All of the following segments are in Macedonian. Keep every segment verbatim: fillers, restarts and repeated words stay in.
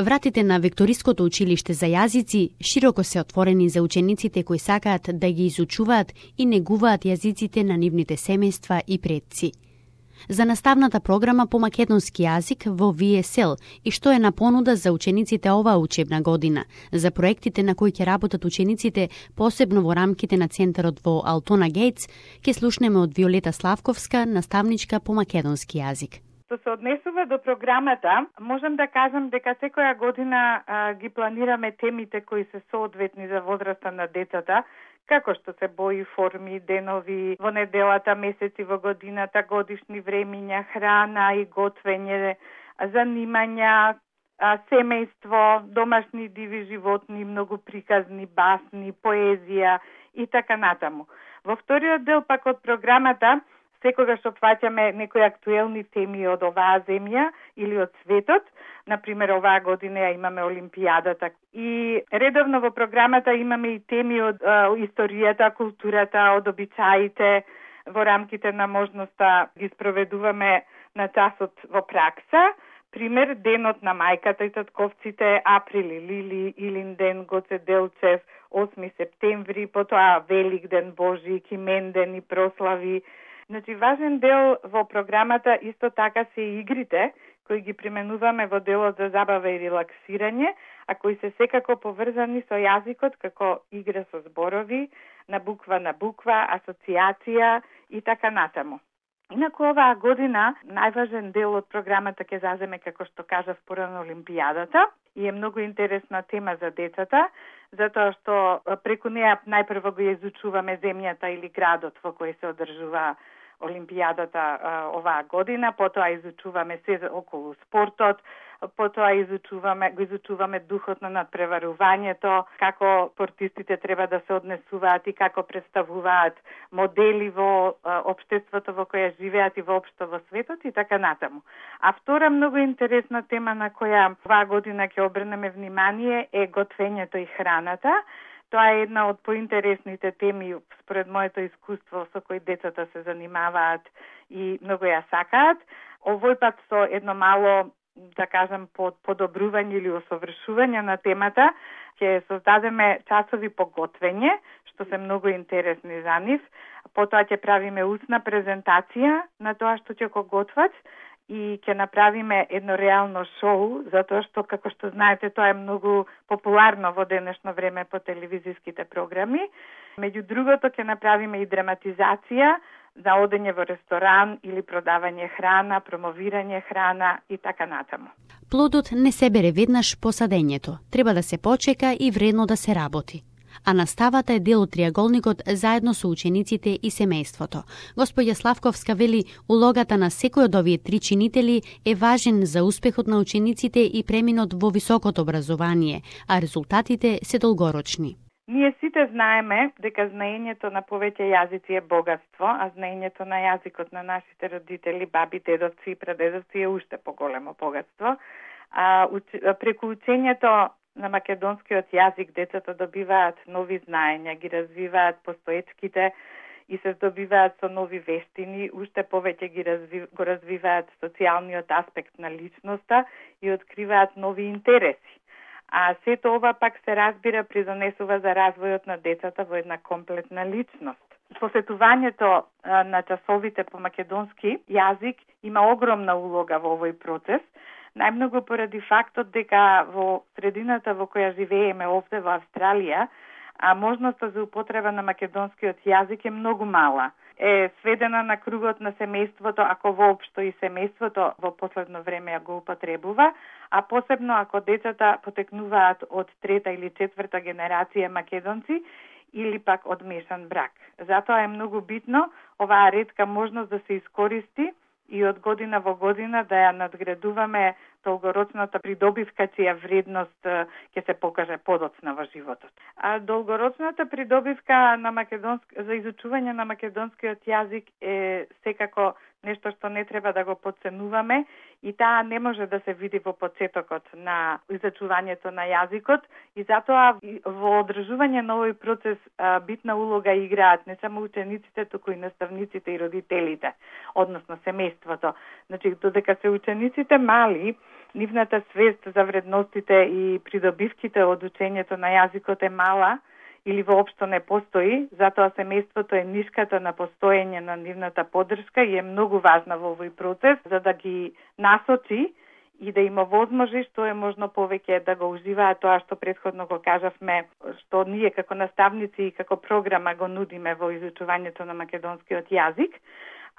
Вратите на Викториското училиште за јазици широко се отворени за учениците кои сакаат да ги изучуваат и негуваат јазиците на нивните семејства и предци. За наставната програма по македонски јазик во ви ес ел и што е на понуда за учениците оваа учебна година, за проектите на кои ќе работат учениците, посебно во рамките на центарот во Алтона Гейтс, ќе слушнеме од Виолета Славковска, наставничка по македонски јазик. Што се однесува до програмата, можам да кажам дека секоја година а, ги планираме темите кои се соодветни за возраста на децата, како што се бои, форми, денови, во неделата, месеци во годината, годишни времиња, храна и готвење, занимања, семејство, домашни диви животни, многу приказни, басни, поезија и така натаму. Во вториот дел пак од програмата секогаш опфаќаме некои актуелни теми од оваа земја или од светот. Например, оваа година ја имаме Олимпијадата. И редовно во програмата имаме и теми од а, историјата, културата, од обичаите. Во рамките на можноста ги спроведуваме на часот во пракса. Пример, денот на мајката и татковците, Априли, Лили, Илинден, Гоце Делчев, осми септември, потоа Великден, Божи, Кименден и прослави. Значи, важен дел во програмата исто така се игрите, кои ги применуваме во делот за забава и релаксирање, а кои се секако поврзани со јазикот како игра со зборови, на буква на буква, асоциација и така натаму. Инаку оваа година најважен дел од програмата ќе заземе, како што кажав порано, Олимпијадата и е многу интересна тема за децата, затоа што преку неа најпрво го изучуваме земјата или градот во кој се одржува Олимпијадата а, оваа година, потоа изучуваме се околу спортот, потоа изучуваме, го изучуваме духот на надпреварувањето, како спортистите треба да се однесуваат и како представуваат модели во а, општеството во кое живеат и воопшто во светот и така натаму. А втора многу интересна тема на која оваа година ќе обрнеме внимание е готвењето и храната. Тоа е една од поинтересните теми според моето искуство со кои децата се занимаваат и многу ја сакаат. Овој пат со едно мало, да кажам, под подобрување или усовршување на темата, ќе создадеме часови по готвење, што се многу интересни за нив. Потоа ќе правиме устна презентација на тоа што ќе го готват и ќе направиме едно реално шоу, затоа што, како што знаете, тоа е многу популарно во денешно време по телевизиските програми. Меѓу другото, ќе направиме и драматизација за одење во ресторан или продавање храна, промовирање храна и така натаму. Плодот не се бере веднаш по садењето. Треба да се почека и вредно да се работи. А наставата е дел од триаголникот заедно со учениците и семејството. Господја Славковска вели, улогата на секој од овие три чинители е важен за успехот на учениците и преминот во високото образование, а резултатите се долгорочни. Ние сите знаеме дека знаењето на повеќе јазици е богатство, а знаењето на јазикот на нашите родители, баби, дедовци и прадедовци е уште поголемо богатство. А, уч... преку учењето на македонскиот јазик децата добиваат нови знаења, ги развиваат постоечките и се здобиваат со нови вештини, уште повеќе ги разви... го развиваат социјалниот аспект на личноста и откриваат нови интереси. А сето ова пак се разбира придонесува за развојот на децата во една комплетна личност. Посетувањето а, на часовите по македонски јазик има огромна улога во овој процес, најмногу поради фактот дека во средината во која живееме овде во Австралија, а можноста за употреба на македонскиот јазик е многу мала. Е сведена на кругот на семејството, ако воопшто и семејството во последно време ја го употребува, а посебно ако децата потекнуваат од трета или четврта генерација македонци или пак од мешан брак. Затоа е многу битно оваа ретка можност да се искористи и од година во година да ја надградуваме долгорочната придобивка чија вредност ќе се покаже подоцна во животот. А долгорочната придобивка на македонски за изучување на македонскиот јазик е секако нешто што не треба да го подценуваме и таа не може да се види во почетокот на изучувањето на јазикот и затоа во одржување на овој процес битна улога играат не само учениците, туку и наставниците и родителите, односно семејството. Значи, додека се учениците мали, нивната свест за вредностите и придобивките од учењето на јазикот е мала или воопшто не постои, затоа семејството е нишката на постоење на нивната поддршка и е многу важна во овој процес, за да ги насочи и да им овозможи што е можно повеќе да го уживаат тоа што претходно го кажавме, што ние како наставници и како програма го нудиме во изучувањето на македонскиот јазик,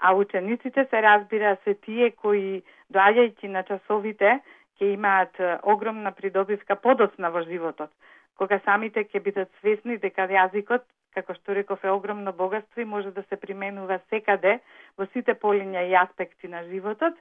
а учениците се разбира се тие кои доаѓајќи на часовите ќе имаат огромна придобивка подоцна во животот, кога самите ќе бидат свесни дека јазикот, како што реков, е огромно богатство и може да се применува секаде во сите полиња и аспекти на животот,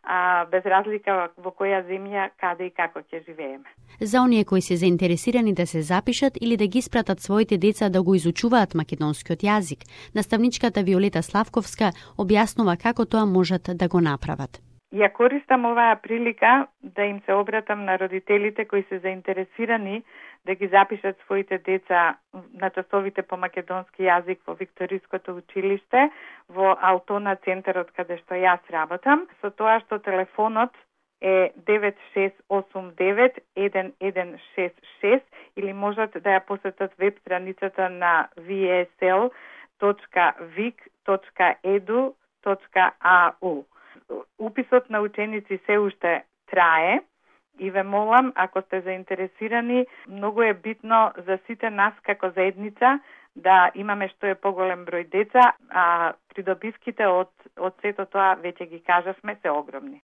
а без разлика во која земја, каде и како ќе живееме. За оние кои се заинтересирани да се запишат или да ги спратат своите деца да го изучуваат македонскиот јазик, наставничката Виолета Славковска објаснува како тоа можат да го направат. Ја користам оваа прилика да им се обратам на родителите кои се заинтересирани да ги запишат своите деца на часовите по македонски јазик во Викториското училиште во Алтона центарот каде што јас работам, со тоа што телефонот е девет шест осум девет еден еден шест шест или можат да ја посетат веб страницата на ви ес ел точка вик точка еду точка а у. Уписот на ученици се уште трае и ве молам, ако сте заинтересирани, многу е битно за сите нас како заедница да имаме што е поголем број деца, а придобивките од, од сето тоа, веќе ги кажавме, се огромни.